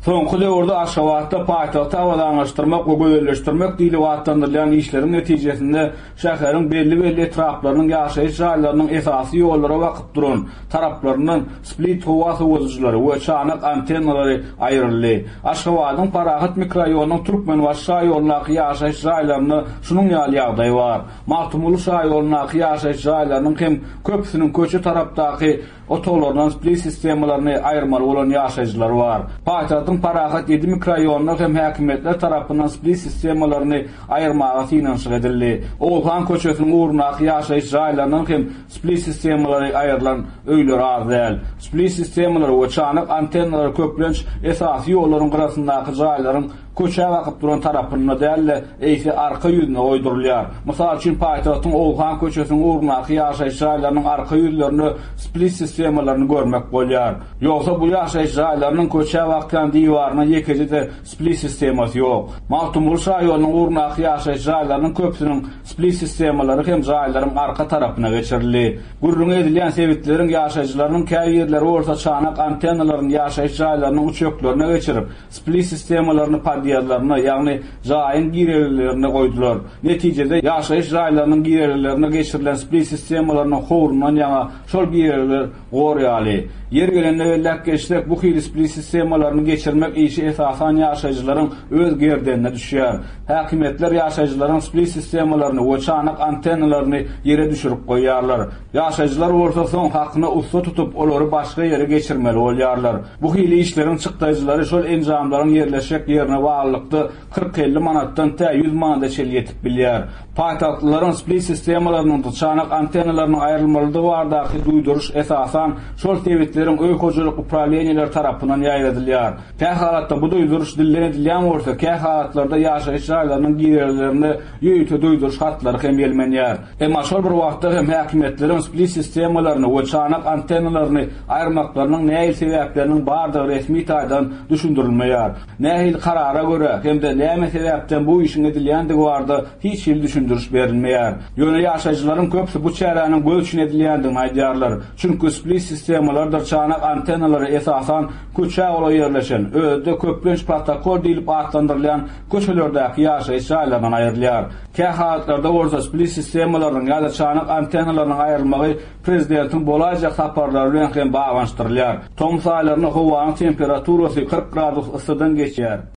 Soňky döwürde Aşgabatda paýtagty abadanlaşdyrmak we gözelleşdirmek diýlip atlandyrylýan işleriň netijesinde şäheriň belli-belli etraplarynyň ýaşaýyş jaýlarynyň esasy ýollara bakyp duran taraplaryndan split howa sowadyjylary we çanak antennalary aýryldy. Aşgabadyň Parahat mikroraýonynyň Türkmenbaşy şaýolundaky ýaşaýyş jaýlarynda şunuň ýaly ýagdaý bar. Magtymguly şaýolundaky ýaşaýyş jaýlarynyň hem köpüsiniň köçe tarapdaky otaglaryndan split sistemalaryny aýyrmaly bolan ýaşaýjylar bar. Paýtagtyň Parahat ýedi mikroraýonynda hem häkimiýetler tarapyndan split sistemalaryny aýyrmaga synanyşyk edildi. Oguzhan köçesiniň ugrundaky ýaşaýyş jaýlaryndan hem split sistemalary aýrylan öýler az däl. Split sistemalary we çanak antennalary köplenç esasy ýollaryň gyrasyndaky jaýlaryň köçä bakyp duran tarapynda däl-de, eýse arka ýüzüne goýdurylýar. Mysal üçin, paýtagtyň Oguzhan köçesiniň ugrundaky ýaşaýyş jaýlarynyň arka ýüzlerinde split sistemalaryny görmek bolýar. Ýogsa bu ýaşaýyş jaýlarynyň köçä bakýan diwarynda ýekeje-de split sistemasy ýok. Magtymguly şaýolunyň ugrundaky ýaşaýyş jaýlarynyň köpüsiniň split sistemalary hem jaýlaryň arka tarapyna geçirildi. Gürrüňi edilýän sebitleriň ýaşaýjylarynyň käbirleri bolsa çanak antennalaryny ýaşaýyş jaýlarynyň üçeklerine geçirip, Split sistemalaryny podýezdlerine, ýagny jaýyň girelgelerine goýdular. Netijede, ýaşaýyş jaýlarynyň girelgelerine geçirilen split sistemalarynyň howrundan ýaňa şol girelgeler gor ýaly. Ýeri gelende belläp geçsek, bu hili split sistemalaryny geçirmek işi esasan ýaşaýjylaryň öz gerdenine düşýär. Häkimiýetler ýaşaýjylaryň split sistemalaryny we çanak antennalaryny ýere düşürip goýýarlar. Ýaşaýjylar bolsa soň hakyna ussa tutup, olary başga ýere geçirmeli bolýarlar. Bu hili işleriň çykdaýjylary şol enjamlaryň ýerleşjek ýerine baglylykda 40-50 manatdan tä 100 manada çenli ýetip bilýär. Paýtagtlylaryň split sistemalarynyň çanak antennalarynyň aýrylmalydygy baradaky duýduryş esasan şol sebitleriň öý hojalyk uprawleniýeleri tarapyndan ýaýradylýar. Kähalatda bu duýduryş dilden edilýän bolsa, kähalatlarda ýaşaýyş jaýlarynyň girelgelerinde ýörite duýduryş hatlary hem ýelmenýär. Emma şol bir wagtda hem häkimiýetleriň split sistemalaryny we çanak antennalaryny aýyrmaklarynyň nähili sebäpleriniň bardygy resmi taýdan düşündirilmeýär. Nähili karara görä hem-de näme sebäpden bu işiň edilýändigi barada hiç hili düşündiriş berilmeýär. Ýöne ýaşaýjylaryň köpüsi bu çäräniň göz üçin edilýändigini aýdýarlar. Çünki split sistemalardyr çanak antennalary esasan köçä golaý ýerleşen, özi-de köplenç protokol diýlip atlandyrylýan köçelerdäki ýaşaýyş jaýlaryndan aýrylýar. Kähalatlarda bolsa split sistemalarynyň ýa-da çanak antennalarynyň aýrylmagy prezidentiň bolaýjak saparlary bilen hem baglanyşdyrylýar. Tomus aýlarynda howanyň temperaturasy 40 gradus yssydan geçýär.